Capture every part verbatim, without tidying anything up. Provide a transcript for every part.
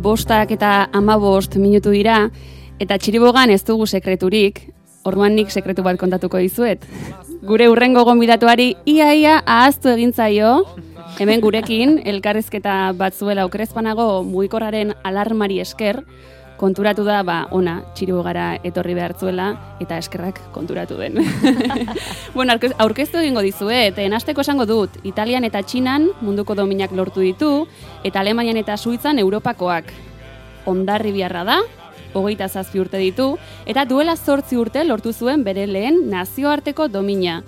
bostak eta hamabost minutu dira, eta txiribogan ez dugu sekreturik, orduan nik sekretu bat kontatuko dizuet. Gure hurrengo gonbidatuari ia-ia ahaztu egin zaio, hemen gurekin, elkarrizketa bat zuela okerezpanago mugikorraren alarmari esker, konturatu da, ba, ona, txiribogara etorri behar zuela, eta eskerrak konturatu den. Bueno, aurkeztu egingo dizuet, hasteko esango dut, Italian eta Txinan munduko dominak lortu ditu, eta Alemanian eta Suitzan Europakoak. Hondarribiarra da, hogeita zazpi urte ditu, eta duela zortzi urte lortu zuen bere lehen nazioarteko domina.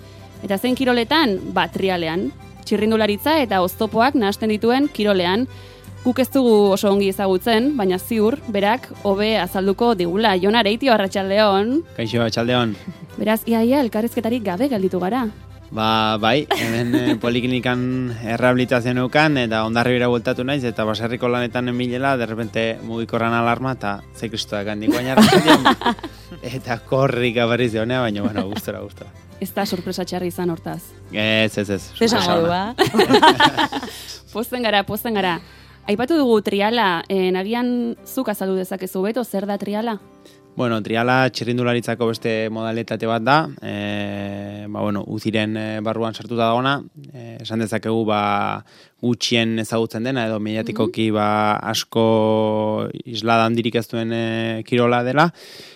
Eta zein kiroletan? Ba, trialean. Txirrindularitza eta oztopoak nahasten dituen kirolean. Guk ez dugu oso ongi ezagutzen, baina ziur, berak, hobe azalduko digula. Jon Areitio, arratsaldeon. Kaixo, arratsaldeon. Beraz, iaia elkarrizketarik gabe gelditu gara. Ba, bai, hemen eh, poliklinikan errehabilitazioan eukan, eta Hondarribira bueltatu naiz, eta baserriko lanetan emilela, derrepente mugikorran alarma, eta ze kristoak handik baina arratsaldeon. Eta korrik abarriz honea, baina, bueno, gustora, gustora. Ez da sorpresa txarri izan hortaz. Ez, ez, ez. Zesan modu, ba? Posten gara, posten gara. Aipatu dugu triala, eh, nagian zuk azaldu dezakezu beto, zer da triala? Bueno, triala txirrindularitzako beste modalitate bat da, e, ba, bueno, uziren barruan sartuta dagoena, e, esan dezakegu ba, gutxien ezagutzen dena, edo mediatikoki ba, asko islada handirik ez duen e, kirola dela,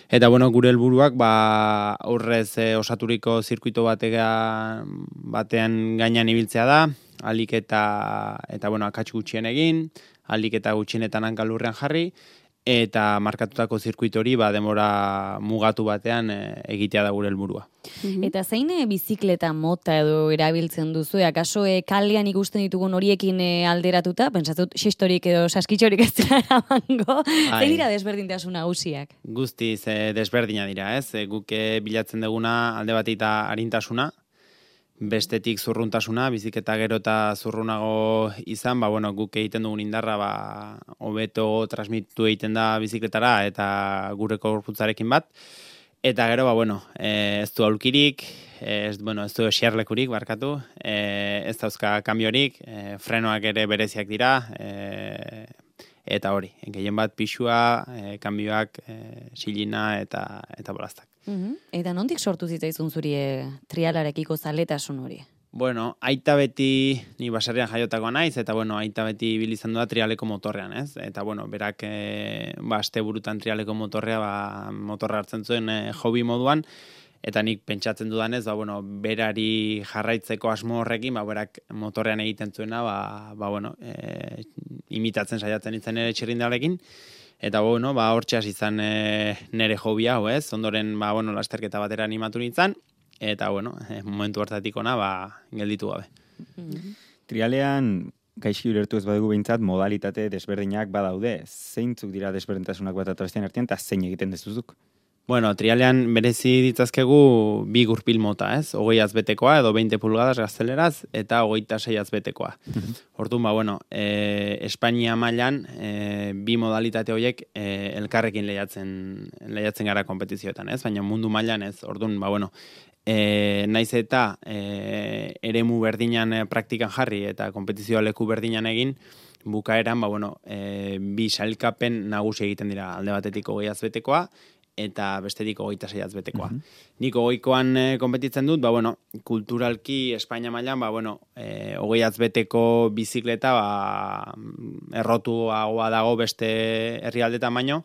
eta bueno, gure helburuak ba, aurrez e, osaturiko zirkuito batean, batean gainean ibiltzea da, alik eta, eta bueno, akats gutxien egin, alik eta gutxienetan hankalurrean jarri, eta markatutako zirkuitori ba, demora mugatu batean e, egitea da gure helburua. Mm-hmm. Eta zein e, bizikleta mota edo erabiltzen duzu? Akaso e, kalean ikusten ditugun horiekin e, alderatuta? Pentsatut xistorik edo saskitxorik ez dira eramango. Zein dira desberdintasun nagusiak? Guztiz e, desberdina dira, ez? E, guk e, bilatzen duguna alde bateita arintasuna, bestetik zurruntasuna, biziketa gero eta zurrunago izan, ba, bueno, guk egiten dugun indarra ba, hobeto transmitu egiten da bizikletara eta gure gorputzarekin bat. Eta gero, ba, bueno, e, ez du aulkirik, ez, bueno, ez du eserlekurik, barkatu, e, ez dauzka kambiorik, e, frenoak ere bereziak dira, e, eta hori, gehien bat pixua, e, kambioak, e, silina eta, eta bolaztak. Mm-hmm. Eta nondik sortu zitzaizun zuri e, trialarekiko zaletasun hori? Bueno, aita beti, ni baserrian jaiotakoa naiz, eta bueno, aita beti bilizan da trialeko motorrean, ez? Eta bueno, berak e, ba, aste burutan trialeko motorrea, ba, motorra hartzen zuen e, hobi moduan, eta nik pentsatzen dudanez, ba, bueno, berari jarraitzeko asmo horrekin, ba, berak motorrean egiten zuena, ba, ba, bueno, e, imitatzen saiatzen itzen ere txirrindalarekin. Eta bueno, ba, hortxe hasi izan e, nere hobia, hau ez, ondoren, ba, bueno, lasterketa batera animatu nintzen, eta bueno, e, momentu hartatik ona, ba, gelditu gabe. Mm-hmm. Trialean, gaizki ulertu ez badugu behintzat, modalitate desberdinak badaude. Zeintzuk dira desberdintasunak bat atorezten artean, eta zein egiten dezuzuk? Bueno, trialean berezi ditzazkegu bi gurpil mota, ez? Hogei azbetekoa edo veinte pulgadas gazteleraz eta hogeita sei azbetekoa. Orduan, ba, bueno, e, Espainia mailan e, bi modalitate horiek e, elkarrekin lehiatzen, lehiatzen gara kompetizioetan, ez? Baina mundu mailan ez. Orduan, ba, bueno, e, naiz eta e, eremu berdinan e, praktikan jarri eta kompetizioa leku berdinan egin, bukaeran, ba, bueno, e, bi sailkapen nagusi egiten dira alde batetik hogei azbetekoa, eta bestetik hogeita sei azbetekoa. Mm-hmm. Nik hogeikoan e, konpetitzen dut, ba, bueno, kulturalki Espainia mailan, ba, bueno, e, hogei azbeteko bizikleta, ba, errotuagoa dago beste herrialdetan baino,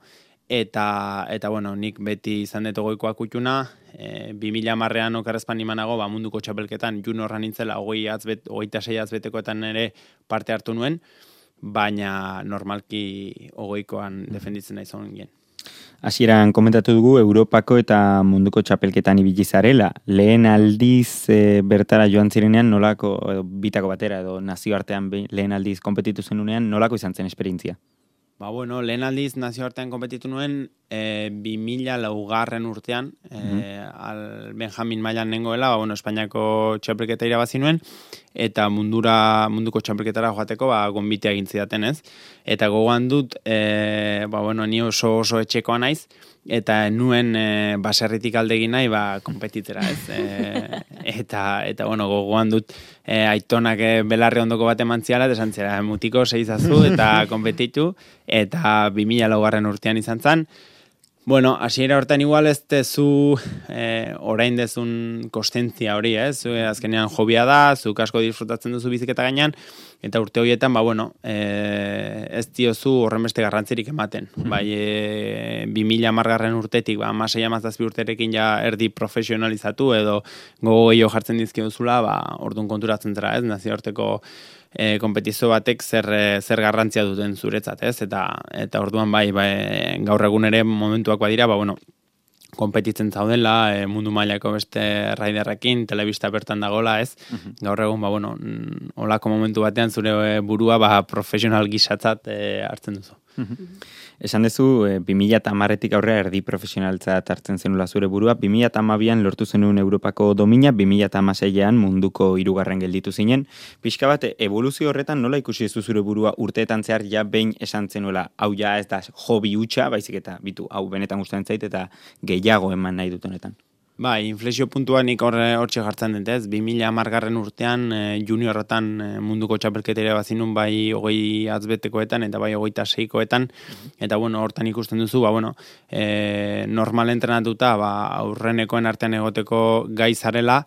eta, eta, bueno, nik beti izan dut hogeikoa kutxuna, e, bi mila hamarrean okerrezpan imanago, ba, munduko txapelketan, juniorra nintzela, hogei azbet, hogeita sei azbetekoetan ere parte hartu nuen, baina normalki hogeikoan defenditzen nahi zon gen. Hasieran komentatu dugu Europako eta munduko txapelketan ibili zarela. Lehen aldiz e, bertara joan zirenean nolako, edo, bitako batera edo nazioartean be, lehen aldiz konpetitu zenunean nolako izan zen esperientzia? Ba bueno, lehen aldiz nazioartean konpetitu nuen e, bi mila laugarren urtean, e, al Benjamin mailan nengoela, ba, bueno, Espainiako txapelketa irabazi nuen, eta mundura, munduko txapelketara joateko, ba, gonbitea egin zidaten, ez? Eta gogoan dut, e, ba, bueno, ni oso oso etxekoa naiz, eta nuen e, baserritik alde egin nahi, ba, konpetitera, ez? E, eta, eta, bueno, gogoan dut, e, aitonak e, belarri ondoko bat eman ziala, eta esan zera, mutiko seizazu, eta konpetitu, eta bi mila laugarren urtean izan zen. Bueno, hasiera hortan igual ez dezu eh, orain dezun kostentzia hori, ez? Eh? Azkenean hobia da, zuk asko disfrutatzen duzu biziketa gainean, eta urte horietan, ba, bueno, eh, ez diozu horren beste garrantzirik ematen. Mm-hmm. Bai, eh, bi mila hamargarren urtetik, ba, amasei amazazpi urterekin ja erdi profesionalizatu, edo gogo gehiago jartzen dizkiozula, ba, orduan konturatzen zera, ez? Nazioarteko E, konpetizio batek zer, zer garrantzia duten zuretzat, ez? Eta, eta orduan bai, bai, gaur egun ere momentuak badira, ba, bueno, konpetitzen zaudela, e, mundu mailako beste raiderrekin, telebista bertan dagola, ez? Uh-huh. Gaur egun, ba, bueno, olako momentu batean zure burua, ba, profesional gisatzat e, hartzen duzu. Uh-huh. Esan dezu, e, bi mila hamarretik aurrera erdi profesionaltzat hartzen zenula zure burua, bi mila hamabian lortu zenuen Europako domina, bi mila hamaseian munduko hirugarren gelditu zinen. Pixka bat, evoluzio horretan nola ikusi zu zure burua urteetan zehar ja behin esan zenuela, hau ja ez da hobi hutsa, baizik eta bitu, hau benetan gustatzen zait eta gehiago eman nahi dut honetan. Bai, inflexio puntua nik horre hortxe jartzen dut, ez? bi mila hamargarren urtean e, juniorretan e, munduko txapelketera bazinun bai hogei atzbetekoetan eta bai hogeita seikoetan, eta bueno, hortan ikusten duzu, ba, bueno, e, normal entrenatuta, ba, aurrenekoen artean egoteko gai zarela,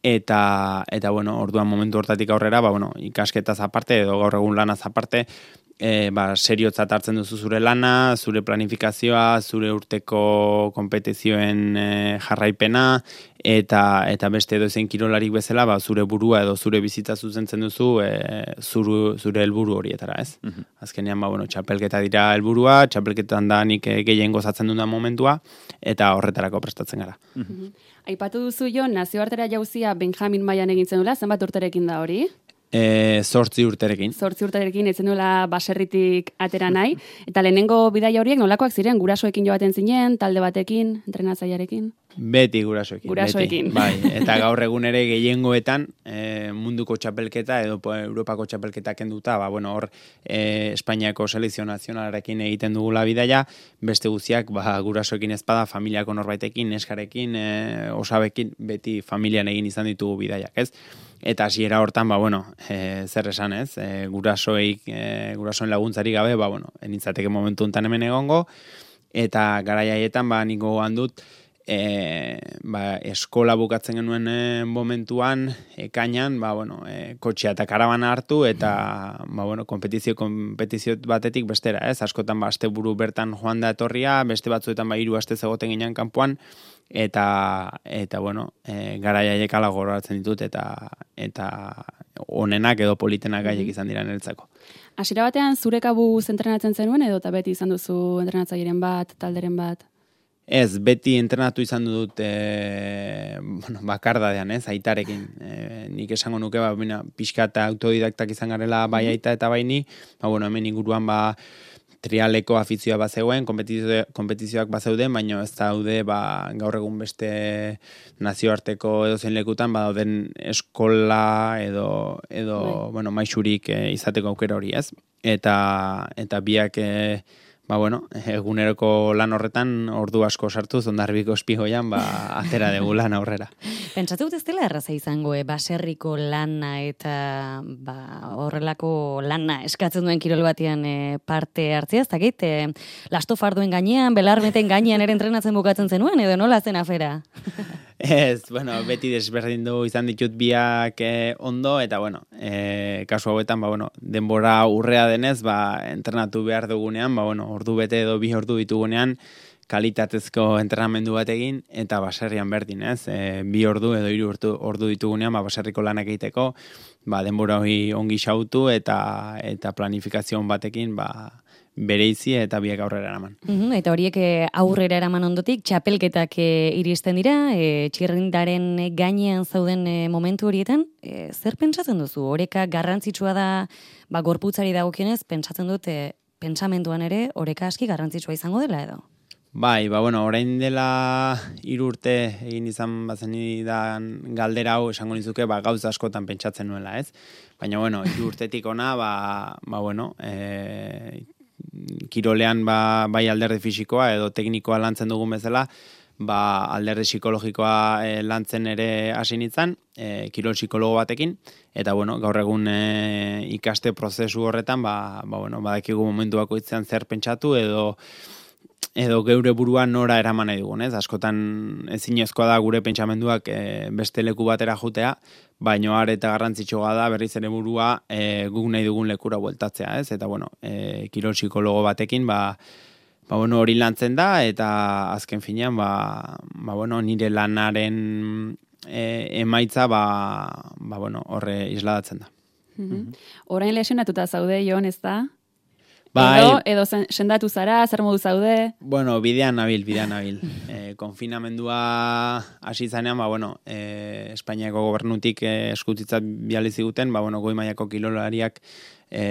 eta, eta bueno, orduan momentu hortatik aurrera, ba, bueno, ikasketaz aparte, edo gaur egun lanaz aparte, E, ba, seriotzat hartzen duzu zure lana, zure planifikazioa, zure urteko konpetizioen e, jarraipena, eta eta beste edozein kirolarik bezala, ba, zure burua edo zure bizitza zuzentzen duzu e, zuru, zure helburu horietara, ez? Uh-huh. Azkenean, ba, bueno, txapelketa dira helburua, txapelketan da nik e, gehien gozatzen duen momentua, eta horretarako prestatzen gara. Uh-huh. Aipatu duzu jo, nazioartera jauzia Benjamin mailan egin zenula, zenbat urterekin da hori? E, zortzi urterekin. Zortzi urterekin etzen duela baserritik atera nahi. Eta lehenengo bidaia horiek nolakoak ziren? Gurasoekin joaten zinen, talde batekin, entrenatzailearekin? Beti gurasoekin. Gurasoekin. Beti. Bai, eta gaur egun ere gehiengoetan e, munduko txapelketa edo Europako txapelketa kenduta, ba, bueno, hor e, Espainiako selekzio nazionalarekin egiten dugula bidaia, beste guztiak ba, gurasoekin ezpada, familiako norbaitekin, neskarekin, e, osabekin, beti familian egin izan ditugu bidaiak, ez? Eta hasiera hortan, ba, bueno, e, zer esan ez, e, gurasoik, e, gurasoen laguntzari gabe, ba, bueno, enitzateke momentu enten hemen egongo, eta garaiaietan, ba, niko handut, e, ba, eskola bukatzen genuen e, momentuan, ekainan, ba, bueno, e, kotxea eta karabana hartu, eta, ba, bueno, kompetizio, kompetizio batetik bestera, ez, askotan, ba, aste buru bertan joan da etorria, beste batzuetan, ba, hiru aste zegoten ginen kanpoan, eta eta bueno, e, garaiaiek ala gogoratzen ditut eta eta onenak edo politenak gaiek izan dira niretzako. Hasiera batean zure kabuz entrenatzen zenuen edo eta beti izan duzu entrenatzaileen bat, talderen bat? Ez, beti entrenatu izan dut e, bueno, bakardadean, ez, aitarekin. E, nik esango nuke, ba, bina, pixka eta autodidaktak izan garela bai aita eta bai ni, ba, bueno, hemen inguruan, ba, trialeko afizioa bat zegoen, kompetizio, kompetizioak bat zeuden, baina ez daude ba, gaur egun beste nazioarteko edo zein lekutan, ba, dauden eskola edo, edo bueno, maixurik e, izateko aukera hori, ez? Eta, eta biak e, ba, bueno, eguneroko lan horretan ordu asko sartu, Ondarbiko espigoian, ba, atera dugu lan aurrera. Pentsatu dut ez dela erraza izango, e, baserriko lana eta ba, horrelako lana eskatzen duen kirol batean e, parte hartzea, ez dakit, e, lasto farduen gainean, belarmeten gainean ere entrenatzen bukatzen zenuen, edo nola zen afera? Ez, bueno, beti desberdindu izan ditut biak eh, ondo, eta, bueno, eh, kasu hauetan, ba, bueno, denbora urrea denez, ba, entrenatu behar dugunean, ba, bueno, ordu bete edo bi ordu ditugunean, kalitatezko entrenamendu bat egin, eta baserrian berdin, ez? E, bi ordu edo hiru ordu, ordu ditugunean, ba, baserriko lanak egiteko, ba, denbora hori ongi xautu, eta, eta planifikazioan batekin, ba, bereizi eta biak aurrera eraman. Uhum, eta horiek aurrera eraman ondotik, txapelketak e, iristen dira, e, txirrindaren gainean zauden e, momentu horietan, e, zer pentsatzen duzu? Oreka garrantzitsua da, ba, gorputzari dagokionez, pentsatzen dut, e, pentsamenduan ere, oreka aski garrantzitsua izango dela edo? Bai, ba, bueno, orain dela hiru urte egin izan bazenidan galdera hau esango nizuke, ba, gauza askotan pentsatzen nuela, ez? Baina, bueno, hiru urtetik ona, ba, ba bueno, e, kirolean ba, bai alderdi fisikoa edo teknikoa lantzen dugun bezala, ba, alderdi psikologikoa e, lantzen ere hasi nintzen, e, kirol psikologo batekin, eta, bueno, gaur egun e, ikaste prozesu horretan, ba, ba, bueno, badakigu momentu bakoitzean zer pentsatu edo edo geure burua nora eraman nahi dugun, ez? Askotan ezinezkoa da gure pentsamenduak e, beste leku batera jutea, baino are eta garrantzitsua da berriz ere burua e, guk nahi dugun lekura bueltatzea, ez? Eta bueno, e, kirol psikologo batekin, ba, ba bueno, hori lantzen da, eta azken finean, ba, ba bueno, nire lanaren e, emaitza, ba, ba bueno, horre isladatzen da. Mm-hmm. Orain lesionatuta zaude, Jon, ez da? Bai, edo, edo zen, sendatu zara, zer modu zaude? Bueno, bidean nabil, bidean nabil. E, konfinamendua hasi zanean, ba, bueno, e, Espainiako gobernutik e, eskutitzat biali ziguten, ba, bueno, goi mailako kilolariak e,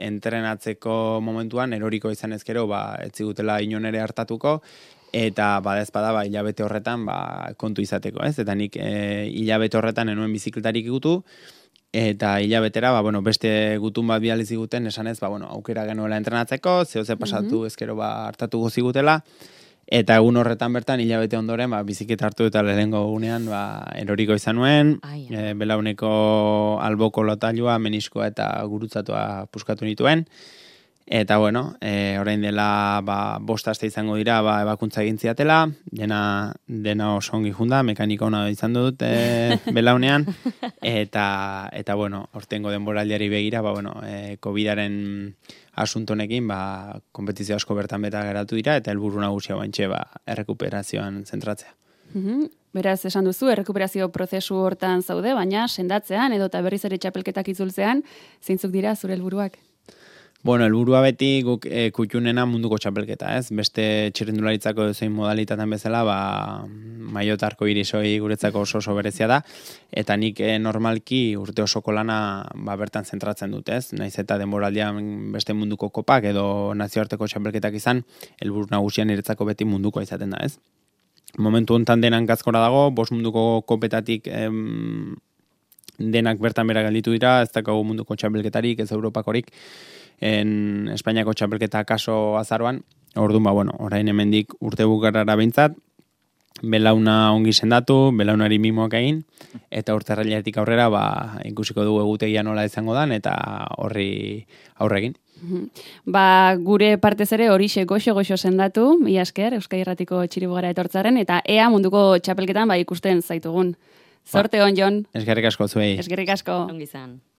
entrenatzeko momentuan, eroriko izan ezkero, ba, ez zigutela inon ere hartatuko, eta badezpada, ba, hilabete horretan, ba, kontu izateko, ez? Eta nik e, hilabete horretan enuen bizikletarik igutu, eta hilabetera, ba, bueno, beste gutun bat biali ziguten, esanez, ba, bueno, aukera genuela entrenatzeko, zehoze pasatu mm-hmm. ezkero ba, hartatuko zigutela, eta egun horretan bertan, hilabete ondoren, ba, biziketa hartu eta lehengo gunean, ba, eroriko izan nuen, e, belauneko alboko lotailua, meniskoa eta gurutzatua puskatu nituen, eta, bueno, e, orain dela, ba, bost aste izango dira, ba, ebakuntza egin ziatela, dena, dena oso ongi junda, mekanika ona izan dut e, belaunean, eta, eta, bueno, hortengo denboraldiari begira, ba, bueno, e, COVIDaren asuntonekin, ba, kompetizio asko bertan beta geratu dira, eta helburu nagusia bantxe, ba, errekuperazioan zentratzea. Mm-hmm. Beraz, esan duzu, errekuperazio prozesu hortan zaude, baina sendatzean, edo eta berriz ere txapelketak itzultzean, zeintzuk dira zure helburuak? Bueno, helburua beti guk e, kutxunena munduko txapelketa, ez? Beste txirrindularitzako zein modalitatean bezala, ba, maiotarko irisoi guretzako oso oso berezia da, eta nik e, normalki urte osoko lana ba, bertan zentratzen dut, ez? Naiz eta denboraldian beste munduko kopak edo nazioarteko txapelketak izan, helburu nagusian niretzako beti mundukoa izaten da, ez? Momentu hontan denan gazkora dago, bost munduko kopetatik em, denak bertan bera gelditu dira, ez dakago munduko txapelketarik, ez Europakorik, en Espainiako txapelketa kaso azaroan, orduan, ba, bueno, orain hemendik urte bukarara behintzat, belauna ongi sendatu, belaunari mimoak egin, eta urte errailetik aurrera, ba, ikusiko dugu egutegia nola izango dan, eta horri aurre egin. Ba, gure partez ere horixe goxo-goxo sendatu, mila esker, Euskadi Irratiko Txiribugara etortzaren, eta ea munduko txapelketan ba ikusten zaitugun. Zorte on, Jon. Eskerrik asko zuei. Eskerrik asko. Ongi izan.